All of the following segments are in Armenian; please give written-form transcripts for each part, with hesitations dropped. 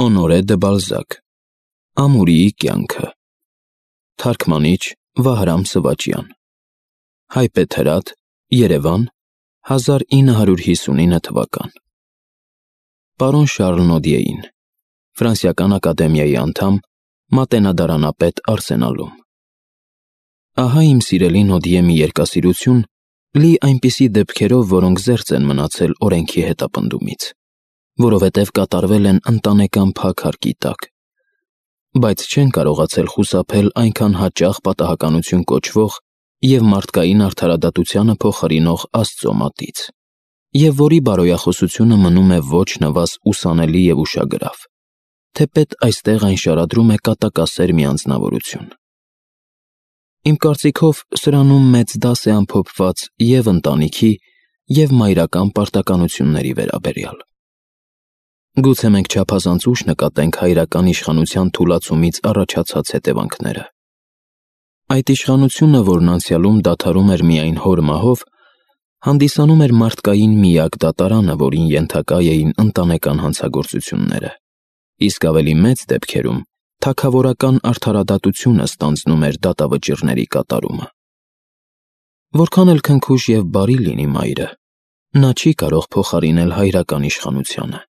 Օնորե դը Բալզակ Ամուրիի կյանքը Թարգմանիչ Վահրամ Սվաճյան Հայբեթ Հրատ Երևան 1959 թվական Պարոն Շարլ Նոդիեին Ֆրանսիական ակադեմիայի անդամ Մատենադարանապետ Արսենալում Ահա իմ սիրելի Նոդիե մի երկասիրություն լի այնպիսի դեպքերով, որոնք զերծ են մնացել օրենքի հետապնդումից, որովհետև կատարվել են ընտանեկան փակ հարկի տակ, բայց չեն կարողացել խուսափել այնքան հաճախ պատահականություն կոչվող և մարդկային արդարադատությանը փոխարինող Աստծո մատից, և որի բարոյախոսությունը մնում է ոչ նվազ ուսանելի և ուշագրավ, թեպետ այստեղ այն շարադրում է կատակասեր մի անձնավորություն։ Իմ կարծիքով սրանում մեծ դաս է ամփոփված և ընտանիքի, և մայրական պարտականությունների վերաբերյալ։ Գուցե մենք չափազանց ուշ նկատենք հայրական իշխանության թուլացումից առաջացած հետևանքները։ Այդ իշխանությունը, որն անցյալում դադարում էր միայն հոր մահով, հանդիսանում էր մարդկային միակ դատարանը, որին ենթակա էին ընտանեկան հանցագործությունները, իսկ ավելի մեծ դեպքերում թագավորական արդարադատությունը ստանձնում էր դատավճիռների կատարումը։ Որքան էլ քնքուշ և բարի լինի մայրը, նա չի կարող փոխարինել հայրական իշխանությանը,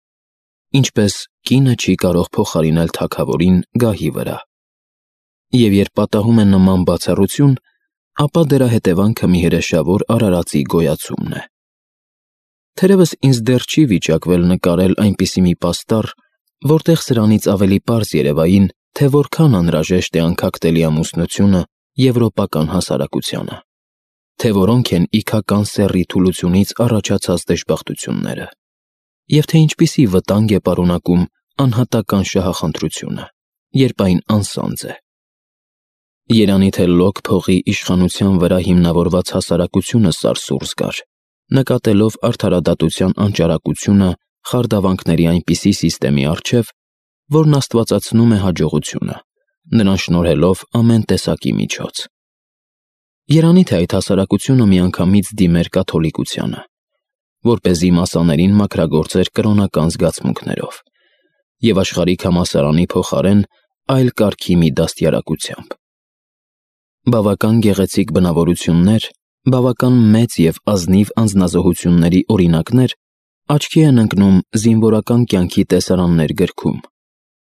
ինչպես կինը չի կարող փոխարինել թագավորին գահի վրա։ Եվ երբ պատահում է նման բացառություն, ապա դրա հետևանքը մի հրեշավոր արարածի գոյացումն է։ Թերևս ինձ դեռ չի վիճակվել նկարել այնպիսի մի պաստառ, որտեղ սրանից ավելի պարզ երևային, թե որքան անհրաժեշտ է անքակտելի ամուսնությունը եվրոպական հասարակությանը, թե որոնք են իգական սեռի թուլությունից առաջացած դժբախտությունները, և թե ինչպիսի վտանգ է պարունակում անհատական շահախնդրությունը, երբ այն անսանձ է։ Երանի թե լոկ փողի իշխանության վրա հիմնավորված հասարակությունը սարսուռ զգար, նկատելով արդարադատության անճարակությունը խարդավանքների այնպիսի սիստեմի առջև, որն աստվածացնում է հաջողությունը, նրան շնորհելով ամեն տեսակի միջոց։ Երանի թե այդ հասարակությունը միանգամից դիմեր կաթոլիկությանը, որպեսզի մասաներին մաքրագործեր կրոնական զգացմունքներով, և աշխարհիկ համալսարանի փոխարեն այլ կարգի մի դաստիարակությամբ։ Բավական գեղեցիկ բնավորություններ, բավական մեծ և ազնիվ անձնազոհությունների օրինակներ աչքի են ընկնում զինվորական կյանքի տեսարաններ գրքում,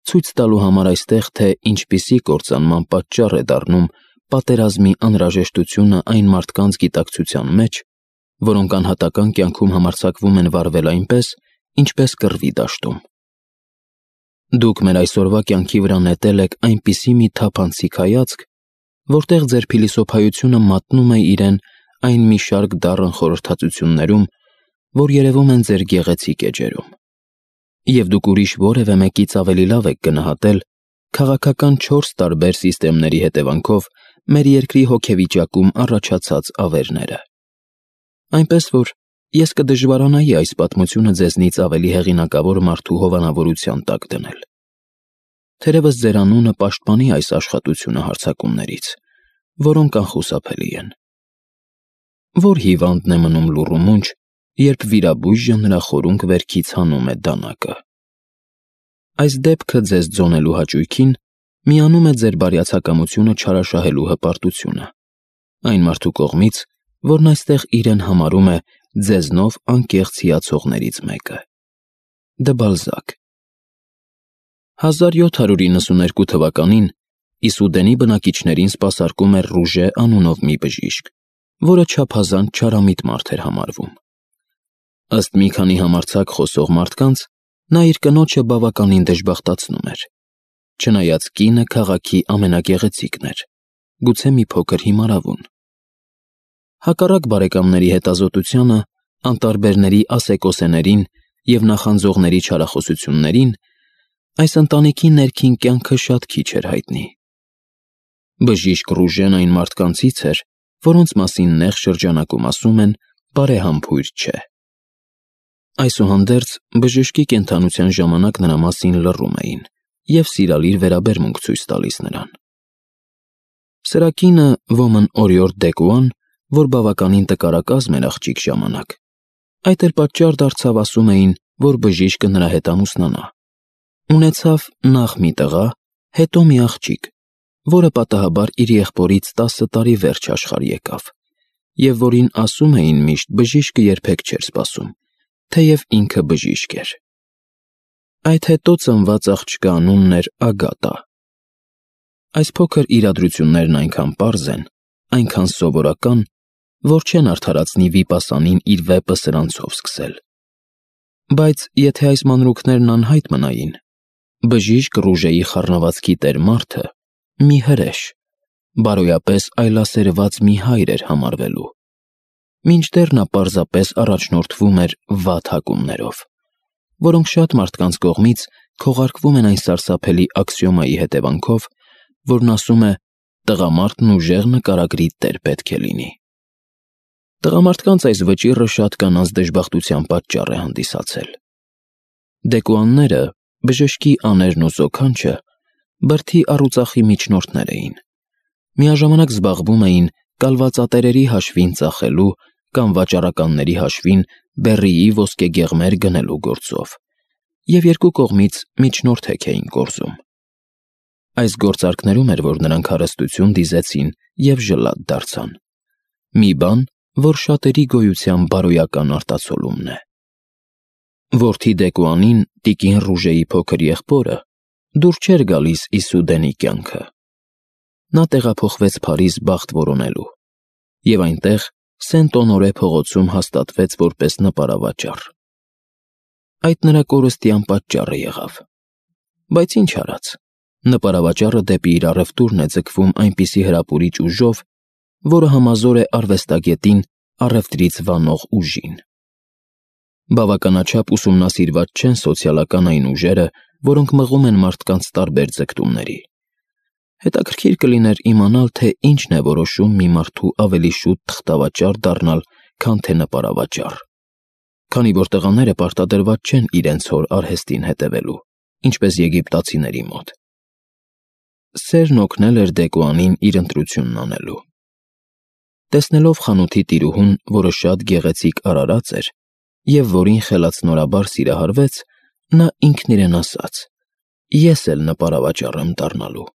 ցույց տալու համար այստեղ, թե ինչպիսի կործանման պատճառ է դառնում պատերազմի անհրաժեշտությունը այն մարդկանց գիտակցության մեջ, որոնք անհատական կյանքում համարձակվում են վարվել այնպես, ինչպես կռվի դաշտում։ Դուք մեր այսօրվա կյանքի վրա նետել եք այնպիսի մի թափանցիկ հայացք, որտեղ ձեր փիլիսոփայությունը մատնում է իրեն այն մի շարք դառն խորհրդածություններում, որ երևում են ձեր գեղեցիկ էջերում, և դուք ուրիշ որևէ մեկից ավելի լավ եք գնահատել քաղաքական 4 տարբեր սիստեմների հետևանքով մեր երկրի հոգեվիճակում առաջացած ավերները։ Այնպես որ ես կդժվարանայի այս պատմությունը ձեզնից ավելի հեղինակավոր մարդու հովանավորության տակ դնել։ Թերևս ձեր անունը պաշտպանի այս աշխատությունը հարձակումներից, որոնք անխուսափելի են։ Որ հիվանդն է մնում լուռ ու մունջ, երբ վիրաբույժը նրա խորունկ վերքից հանում է դանակը։ Այս դեպքը ձեզ ձոնելու հաճույքին միանում է ձեր բարյացակամությունը չարաշահելու հպարտությունը, այն մարդու կողմից, որն այստեղ իրեն համարում է ձեզնով անկեղծ հիացողներից մեկը։ Դը Բալզակ 1792 թվականին Իսուդենի բնակիչներին սպասարկում էր Ռուժե անունով մի բժիշկ, որը չափազանց չարամիտ մարդ էր համարվում։ Ըստ մի քանի համարձակ խոսող մարդկանց, նա իր կնոջը բավականին դժբախտացնում էր, չնայած կինը քաղաքի ամենագեղեցիկն էր, գուցե մի փոքր հիմարավուն։ Հակառակ բարեկամների հետազոտությանը, անտարբերների ասեկոսեներին և նախանձողների չարախոսություններին, այս ընտանիքի ներքին կյանքը շատ քիչ էր հայտնի։ Բժիշկ Ռուժեն այն մարդկանցից էր, որոնց մասին նեղ շրջանակում ասում են բարեհամբույր չէ։ Այսուհանդերձ, բժշկի կենդանության ժամանակ նրա մասին լռում էին և սիրալիր վերաբերմունք ցույց տալիս նրան։ Սրա կինը ոմն օրիորդ Դեկուան, որ բավականին տկարակազմ էր աղջիկ ժամանակ, այդ էլ պատճառ դարձավ ասում էին, որ բժիշկը նրա հետ ամուսնանա, Ունեցավ նախ մի տղա, հետո մի աղջիկ, որը պատահաբար իր եղբորից 10 տարի վերջ աշխարհ եկավ, և որին ասում էին միշտ բժիշկը երբեք չէր սպասում, թեև ինքը բժիշկ էր։ Այդ հետո ծնված աղջկա անունն էր Ագատա։ Այս փոքր իրադրություններն այնքան պարզ են, այնքան սովորական, որ չեն արդարացնի վիպասանին իր վեպը սրանցով սկսել։ Բայց եթե այս մանրուքներն անհայտ մնային, բժիշկ Ռուժեի խառնվածքի տեր մարդը մի հրեշ, բարոյապես այլասերված մի հայր էր համարվելու, մինչդեռ նա պարզապես առաջնորդվում էր վատ հակումներով, որոնք շատ մարդկանց կողմից քողարկվում են այն սարսափելի աքսիոմայի հետևանքով, որն ասում է. «Տղամարդն ուժեղ նկարագրի տեր պետք է լինի»։ Տղամարդկանց այս վճիռը շատ կանանց դժբախտության պատճառ է հանդիսացել։ Դեկուանները, բժշկի աներն ու զոքանչը, բրդի առուծախի միջնորդներ էին, միաժամանակ զբաղվում էին կալվածատերերի հաշվին ծախելու կամ վաճառականների հաշվին բեռիի ոսկեգեղմեր գնելու գործով, և երկու կողմից միջնորդ էին կորզում։ Այս գործարքներում էր, որ նրանք հարստություն դիզեցին և ժլատ դարձան։ Մի բան, որ շատերի գոյության բարոյական արտացոլումն է։ Որդի Դեկուանին, տիկին Ռուժեի փոքր եղբորը, դուր չէր գալիս Իսուդենի կյանքը։ Նա տեղափոխվեց Փարիզ բախտ որոնելու, և այնտեղ Սենտ-Օնորե փողոցում հաստատվեց որպես նպարավաճառ։ Այդ նրա կորստյան պատճառը եղավ։ Բայց ինչ արած, նպարավաճառը դեպի իր առևտուրն է ձգվում այնպիսի հրապուրիչ ուժով, որը համազոր է արվեստագետին առևտրից վանող ուժին։ Բավականաչափ ուսումնասիրված չեն սոցիալական այն ուժերը, որոնք մղում են մարդկանց տարբեր ձգտումների։ Հետաքրքիր կլիներ իմանալ, թե ինչն է որոշում մի մարդու ավելի շուտ թղթավաճառ դառնալ, քան թե նպարավաճառ, քանի որ տղաները պարտադրված չեն իրենց հոր արհեստին հետևելու, ինչպես եգիպտացիների մոտ։ Սերն օգնել էր Դեկուանին իր ընտրությունն անելու։ Տեսնելով խանութի տիրուհուն, որը շատ գեղեցիկ արարած էր, և որին խելացնորաբար սիրահարվեց, նա ինքն իրեն ասաց. «Ես էլ նպարավաճառ եմ դառնալու»,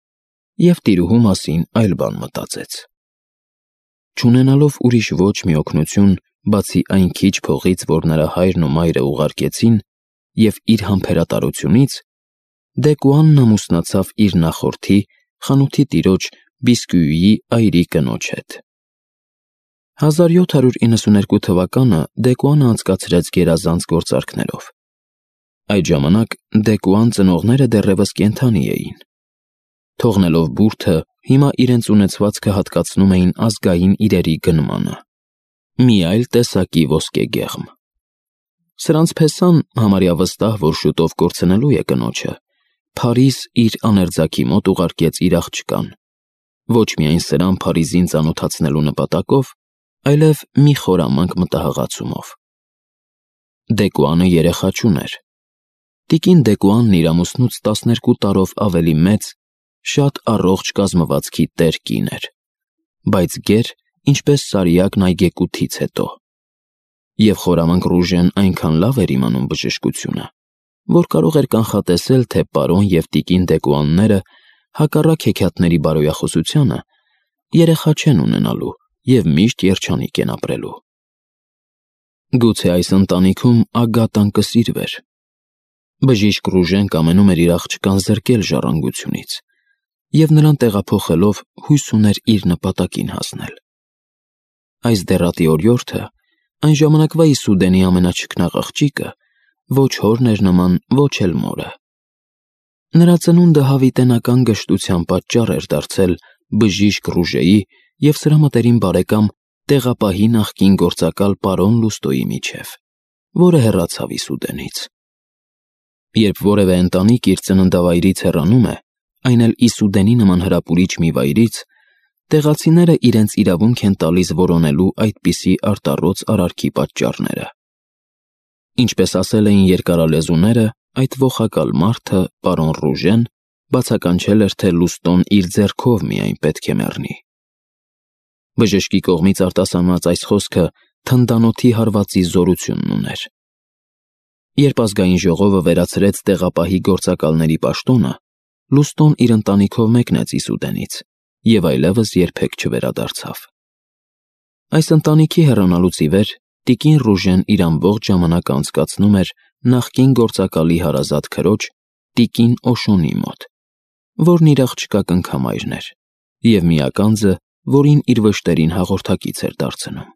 և տիրուհու մասին այլ բան մտածեց։ Չունենալով ուրիշ ոչ մի օգնություն, բացի այն քիչ փողից, որ նրա հայրն ու մայրը ուղարկեցին, և իր համբերատարությունից, Դեկուանն ամուսնացավ իր նախորդի, խանութի տիրոջ Բիսկյուիի այրի կնոջ հետ։ 1792 թվականը Դեկուանը անցկացրեց գերազանց գործարքներով։ Այդ ժամանակ Դեկուան ծնողները դեռևս կենդանի էին։ Թողնելով բուրդը, հիմա իրենց ունեցվածքը հատկացնում էին ազգային իրերի գնմանը։ Մի այլ տեսակի ոսկեգեղմ։ Սրանց փեսան համարյա վստահ, որ շուտով կորցնելու է կնոջը, Փարիզ իր աներձակի մոտ ուղարկեց իր աղջկան, ոչ միայն սրան Փարիզին ծանոթացնելու նպատակով, այլև մի խորամանկ մտահղացումով։ Դեկուանը երեխա չուներ։ Տիկին Դեկուանն իր ամուսնուց 12 տարով ավելի մեծ, շատ առողջ կազմվածքի տեր կին էր, բայց գեր, ինչպես Սարիակն այգեկութից հետո։ Եվ խորամանկ Ռուժեն այնքան լավ էր իմանում բժշկությունը, որ կարող էր կանխատեսել, թե պարոն և տիկին Դեկուանները, հակառակ հեքիաթների բարոյախոսությանը, երեխա չեն ունենալու և միշտ երջանիկ են ապրելու։ Գուցե այս ընտանիքում Ագատան կսիրվեր։ Բժիշկ Ռուժեն կամենում էր իր աղջկան զրկել ժառանգությունից, և նրան տեղափոխելով հույս ուներ իր նպատակին հասնել։ Այս դեռատի օրիորդը, այն ժամանակվա Իսուդենի ամենաչքնաղ աղջիկը, ոչ հորն էր նման, ոչ էլ մորը։ Նրա ծնունդը հավիտենական գժտության պատճառ էր դարձել բժիշկ Ռուժեի և սրա մտերիմ բարեկամ տեղապահի նախկին գործակալ պարոն Լուստոյի միջև, որը հեռացավ Իսուդենից։ Երբ որևէ ընտանիք իր ծննդավայրից հեռանում է, այն էլ Իսուդենի նման հրապուրիչ մի վայրից, տեղացիները իրենց իրավունք են տալիս որոնելու այդպիսի արտառոց արարքի պատճառները։ Ինչպես ասել էին երկարալեզուները, այդ ողակալ մարդը, պարոն Ռուժեն, բացականչել էր, թե Լուստոն իր ձեռքով միայն պետք է մեռնի։ Բժշկի կողմից արտասանված այս խոսքը թնդանոթի հարվածի զորությունն ուներ։ Երբ ազգային ժողովը վերացրեց տեղապահի գործակալների պաշտոնը, Լուստոն իր ընտանիքով մեկնեց Իսուդենից և այլևս երբեք չվերադարձավ։ Այս ընտանիքի հեռանալուց ի վեր տիկին Ռուժեն իր ամբողջ ժամանակը անցկացնում էր նախկին գործակալի հարազատ քրոջ, տիկին Օշոնի մոտ, որն իր աղջկա կնքամայրն էր և միականձը, որին իր վշտերին հաղորդակից էր դարձնում։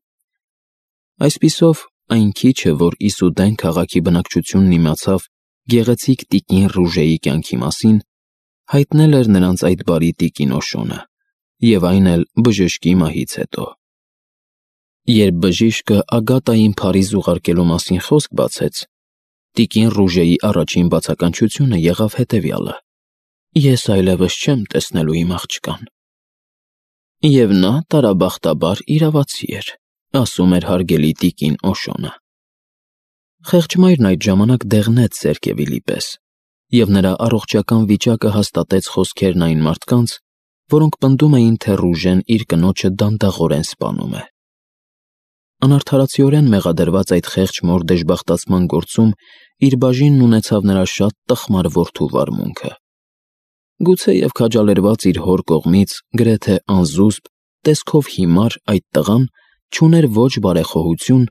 Այսպիսով, այն քիչը, որ Իսուդեն քաղաքի բնակչությունն իմացավ գեղեցիկ տիկին Ռուժեի կյանքի մասին, հայտնել էր նրանց այդ բարի տիկին Օշոնը, և այն էլ բժշկի մահից հետո։ Երբ բժիշկը Ագատային Փարիզ ուղարկելու մասին խոսք բացեց, տիկին Ռուժեի առաջին բացականչությունը եղավ հետևյալը. «Ես այլևս չեմ տեսնելու իմ աղջկան»։ Եվ նա տարաբախտաբար իրավացի էր, ասում էր հարգելի տիկին Օշոնը։ Խեղճ մայրն այդ ժամանակ դեղնեց Սերկևիլի պես, և նրա առողջական վիճակը հաստատեց խոսքերն այն մարդկանց, որոնք պնդում էին, թե Ռուժեն իր կնոջը դանդաղորեն սպանում է։ Անարդարացիորեն մեղադրված այդ խեղճ մոր դժբախտացման գործում իր բաժինն ունեցավ նրա շատ տխմար որդու վարմունքը։ Գուցեև քաջալերված իր հոր կողմից գրեթե անզուսպ, տեսքով հիմար այդ տղան չուներ ոչ բարեխոհություն,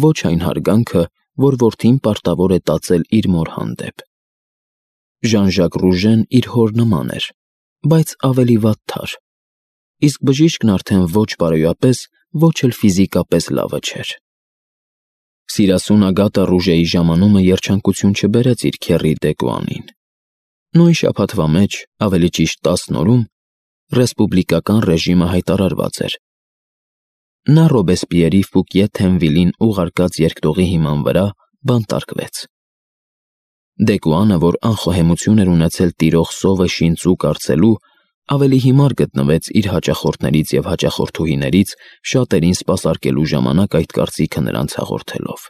ոչ այն հարգանքը, որ որդին պարտավոր է տածել իր մոր հանդեպ։ Ժան-Ժակ Ռուժեն իր հոր նման էր, բայց ավելի վատթար, իսկ բժիշկն արդեն ոչ բարոյապես, ոչ էլ ֆիզիկապես լավը չէր։ Սիրասուն Ագատա Ռուժեի ժամանումը երջանկություն չբերեց իր քեռի Դեկուանին։ Նույն շաբաթվա մեջ, ավելի ճիշտ 10 օրում, ռեսպուբլիկական ռեժիմը հայտարարված էր։ Նա Ռոբեսպիերի Ֆուկիե Թենվիլին ուղարկած երկտողի հիման վրա բանտարկվեց։ Դեկուանը, որ անխոհեմություն էր ունեցել տիրող սովը շինծու կարծելու, ավելի հիմար գտնվեց իր հաճախորդներից և հաճախորդուհիներից շատերին սպասարկելու ժամանակ այդ կարծիքը նրանց հաղորդելով։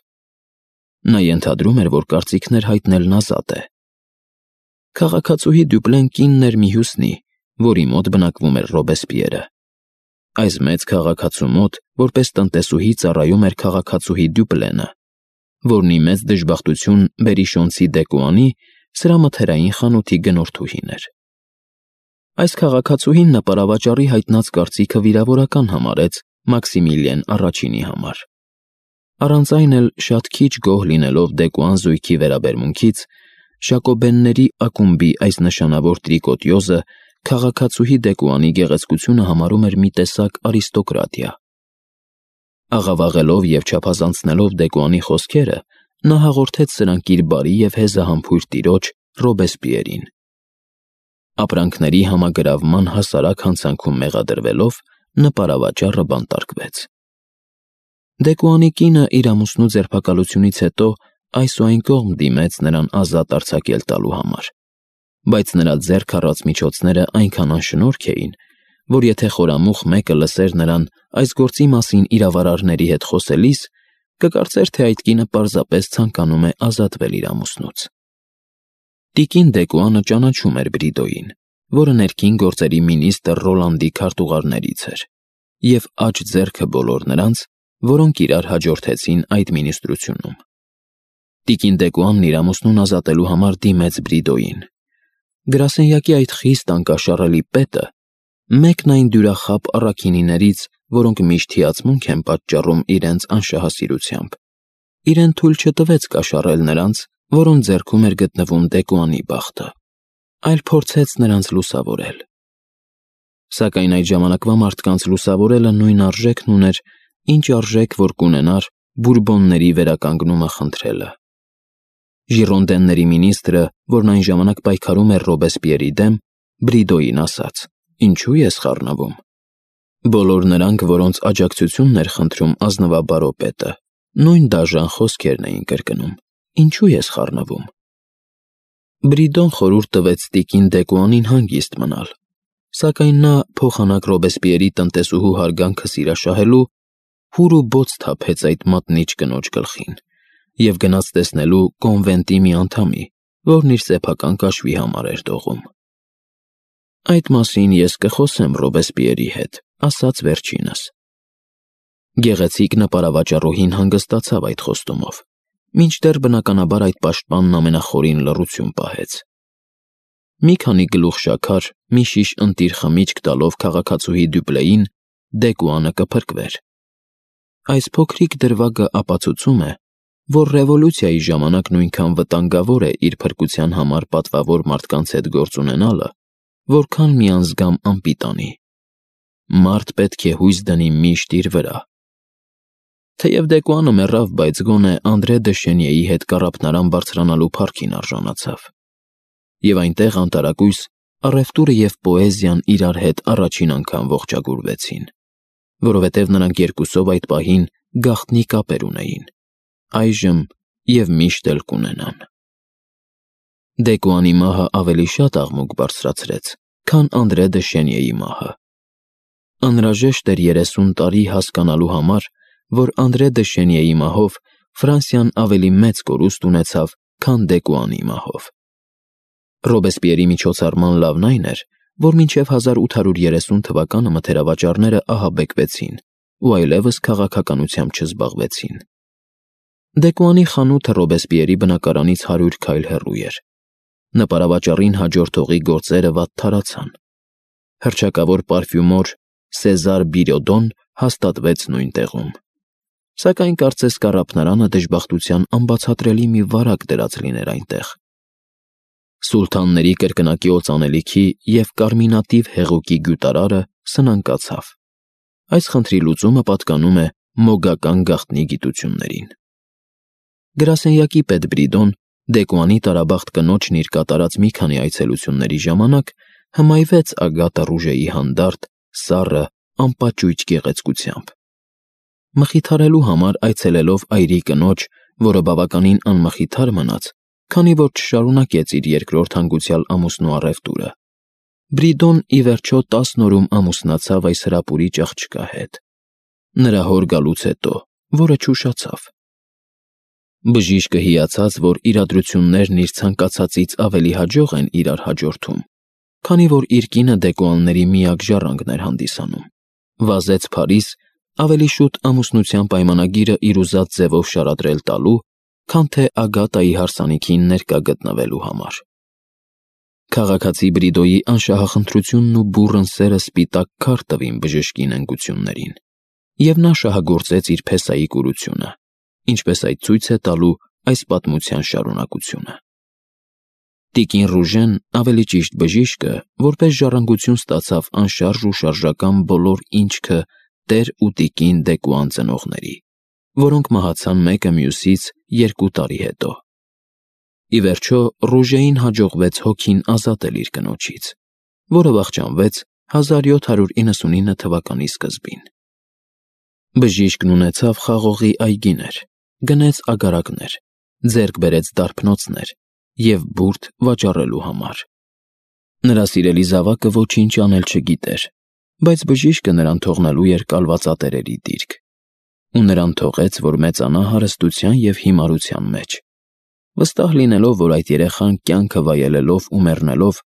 Նա ենթադրում էր, որ կարծիքներ հայտնելն ազատ է։ Քաղաքացուհի Դյուպլեն կինն էր մի հյուսնի, որի մոտ բնակվում էր Ռոբեսպիերը։ Այս մեծ քաղաքացու մոտ, որպես տնտեսուհի ծառայում էր քաղաքացուհի Դյուպլենը, որն ի մեծ դժբախտություն Բերիշոնցի Դեկուանի սրամթերային խանութի գնորդուհին էր։ Այս քաղաքացուհին նպարավաճառի հայտնած կարծիքը վիրավորական համարեց Մաքսիմիլիեն առաջինի համար։ Առանց այն էլ շատ քիչ գոհ լինելով Դեկուան զույգի վերաբերմունքից, Ժակոբենների ակումբի այս նշանավոր տրիկոտյոզը քաղաքացուհի Դեկուանի գեղեցկությունը համարում էր մի տեսակ արիստոկրատիա։ Աղավաղելով և չափազանցնելով Դեկուանի խոսքերը, նա հաղորդեց սրանք իր բարի և հեզահամբույր տիրոջ Ռոբեսպիերին։ Ապրանքների համագրավման հասարակ հանցանքում մեղադրվելով նպարավաճառը բանտարկվեց։ Դեկուանի կինը իր ամուսնու ձերբակալությունից հետո այս ու այն կողմ դիմեց նրան ազատ արձակել տալու համար, բայց նրա ձեռք առած միջոցները այնքան անշնորհք էին, որ եթե խորամուխ մեկը լսեր նրան այս գործի մասին իրավարարների հետ խոսելիս, կկարծեր, թե այդ կինը պարզապես ցանկանում է ազատվել իր ամուսնուց։ Տիկին Դեկուանը ճանաչում էր Բրիդոյին, որը ներքին գործերի մինիստր Ռոլանդի քարտուղարներից էր, և աջ ձեռքը բոլոր նրանց, որոնք իրար հաջորդեցին այդ մինիստրությունում։ Տիկին Դեկուանն իր ամուսնուն ազատելու համար դիմեց Բրիդոյին։ Գրասենյակի այդ խիստ անկաշառելի պետը, մեկն այն դյուրախաբ առաքինիներից, որոնք միշտ հիացմունք են պատճառում իրենց անշահասիրությամբ, իրեն թույլ չտվեց կաշառել նրանց, որոնց ձեռքում էր գտնվում Դեկուանի բախտը, այլ փորձեց նրանց լուսավորել։ Սակայն այդ ժամանակվա մարդկանց լուսավորելը նույն արժեքն ուներ, ինչ արժեք որ կունենար Բուրբոնների վերականգնումը խնդրելը։ Ժիրոնդենների մինիստրը, որն այն ժամանակ պայքարում էր Ռոբեսպիերի դեմ, Բրիդոյին ասաց. «Ինչու ես խառնվում»։ Բոլոր նրանք, որոնց աջակցությունն էր խնդրում ազնվաբարոպետը, նույն դաժան խոսքերն էին կրկնում. «Ինչու ես խառնվում»։ Բրիդոն խորհուրդ տվեց տիկին Դեկուանին հանգիստ մնալ, սակայն նա փոխանակ Ռոբեսպիերի տնտեսուհու հարգանքը սիրաշահելու հուր ու բոց թափեց այդ մատնիչ կնոջ գլխին և գնաց տեսնելու կոնվենտի մի անդամի, որն իր սեփական կաշվի համար էր դողում։ «Այդ մասին ես կխոսեմ Ռոբեսպիերի հետ», ասաց վերջինս։ Գեղեցիկ նպարավաճառուհին հանգստացավ այդ խոստումով, մինչդեռ բնականաբար այդ պաշտպանն ամենախորին լռություն պահեց։ Մի քանի գլուխ շաքար, մի շիշ ընտիր խմիչք տալով քաղաքացուհի Դյուպլեին, Դեկուանը կփրկվեր։ Այս փոքրիկ դրվագը ապացուցում է, որ ռևոլյուցիայի ժամանակ նույնքան վտանգավոր է իր փրկության համար պատվավոր մարդկանց հետ գործ ունենալը, որքան մի անզգամ անպիտանի։ Մարդ պետք է հույս դնի միշտ իր վրա։ Թեև Դեկուանը մեռավ, բայց գոնե Անդրե դը Շենիեի հետ կառափնարան բարձրանալու փառքին արժանացավ։ Եվ այնտեղ անտարակույս առևտուրը և պոեզիան իրար հետ առաջին անգամ ողջագուրվեցին, որովհետև նրանք երկուսով այդ պահին գաղտնի կապեր ունեին, այժմ և միշտ էլ կունենան։ Դեկուանի մահը ավելի շատ աղմուկ բարձրացրեց, քան Անդրե դը Շենիեի մահը։ Անհրաժեշտ էր 30 տարի հասկանալու համար, որ Անդրե դը Շենիեի մահով Ֆրանսիան ավելի մեծ կորուստ ունեցավ, քան Դեկուանի մահով։ Ռոբեսպիերի միջոցառման լավն այն էր, որ մինչև 1830 թվականը մթերավաճառները ահաբեկվեցին ու այլևս քաղաքականությամբ չզբաղվեցին։ Դեկուանի խանութը Ռոբեսպիերի բնակարանից 100 քայլ հեռու էր։ Նպարավաճառին հաջորդողի գործերը վատ թարացան։ Հռչակավոր պարֆյումոր Սեզար Բիրոդոն հաստատվեց նույն տեղում։ Սակայն կարծես կառափնարանը դժբախտության անբացատրելի մի վարակ դրած լիներ այնտեղ։ Սուլթանների կրկնակի օծանելիքի և կարմինատիվ հեղուկի գյուտարարը սնանկացավ։ Այս խնդրի լուծումը պատկանում է մոգական գաղտնի գիտություններին։ Գրասենյակի պետ Բրիդոն Դեկուանի տարաբախտ կնոջն իր կատարած մի քանի այցելությունների ժամանակ հմայվեց Ագատա Ռուժեի հանդարտ, սառը, անպաճույճ գեղեցկությամբ։ Մխիթարելու համար այցելելով այրի կնոջ, որը բավականին անմխիթար մնաց, քանի որ չշարունակեց իր երկրորդ հանգուցյալ ամուսնու առևտուրը, Բրիդոն ի վերջո 10 օրում ամուսնացավ այս հրապուրիչ աղջկա հետ, նրա հոր գալուց հետո, որը չուշացավ։ Բժիշկը հիացած, որ իրադրություններն իր ցանկացածից ավելի հաջող են իրար հաջորդում, քանի որ իր կինը Դեկուանների միակ ժառանգն էր հանդիսանում, վազեց Փարիզ ավելի շուտ ամուսնության պայմանագիրը իր ուզած ձևով շարադրել տալու, քան թե Ագատայի հարսանիքին ներկա գտնվելու համար։ Քաղաքացի Բրիդոյի անշահախնդրությունն ու բուռն սերը սպիտակ քար տվին բժշկի նենգություններին, և նա շահագործեց իր փեսայի կուրությունը, ինչպես այդ ցույց է տալու այս պատմության շարունակությունը։ Տիկին Ռուժեն, ավելի ճիշտ բժիշկը, որպես ժառանգություն ստացավ անշարժ ու շարժական բոլոր ինչքը տեր ու տիկին Դեկուան ծնողների, որոնք մահացան մեկը մյուսից 2 տարի հետո։ Ի վերջո Ռուժեին հաջողվեց հոգին ազատել իր կնոջից, որը վախճանվեց 1799 թվականի սկզբին։ Բժիշկն ունեցավ խաղողի այգիներ, գնեց ագարակներ, ձեռք բերեց դարբնոցներ և բուրդ վաճառելու համար։ Նրա սիրելի զավակը ոչինչ անել չգիտեր, բայց բժիշկը նրան թողնելու էր կալվածատերերի դիրք, ու նրան թողեց, որ մեծանա հարստության և հիմարության մեջ, վստահ լինելով, որ այդ երեխան կյանքը վայելելով ու մեռնելով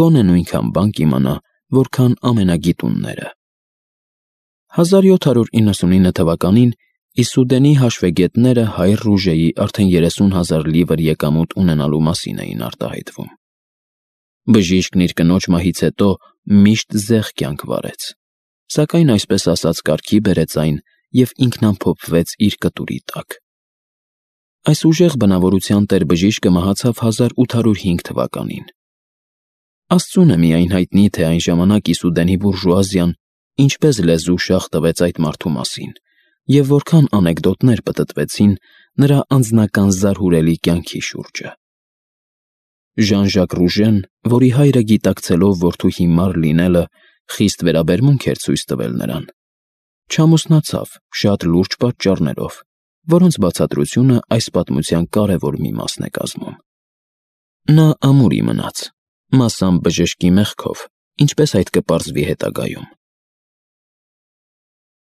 գոնե նույնքան բան կիմանա, որքան ամենագիտունները։ 1799 թվականին Իսուդենի հաշվեգետները հայր Ռուժեի արդեն 30,000 լիվր եկամուտ ունենալու մասին էին արտահայտվում։ Բժիշկն իր կնոջ մահից հետո միշտ զեղ կյանք վարեց, սակայն այսպես ասած կարգի բերեց այն և ինքնամփոփվեց իր կտուրի տակ։ Այս ուժեղ բնավորության տեր բժիշկը մահացավ 1805 թվականին։ Աստծուն է միայն հայտնի, թե այն ժամանակ Իսուդենի բուրժուազիան ինչպես լեզու շաղ տվեց այդ մարդու մասին և որքան անեկդոտներ պտտվեցին նրա անձնական զարհուրելի կյանքի շուրջը։ Ժան-Ժակ Ռուժեն, որի հայրը գիտակցելով որդու հիմար լինելը խիստ վերաբերմունք էր ցույց տվել նրան, չամուսնացավ շատ լուրջ պատճառներով, որոնց բացատրությունը այս պատմության կարևոր մի մասն է կազմում։ Նա ամուրի մնաց, մասամբ բժշկի մեղքով, ինչպես այդ կպարզվի հետագայում,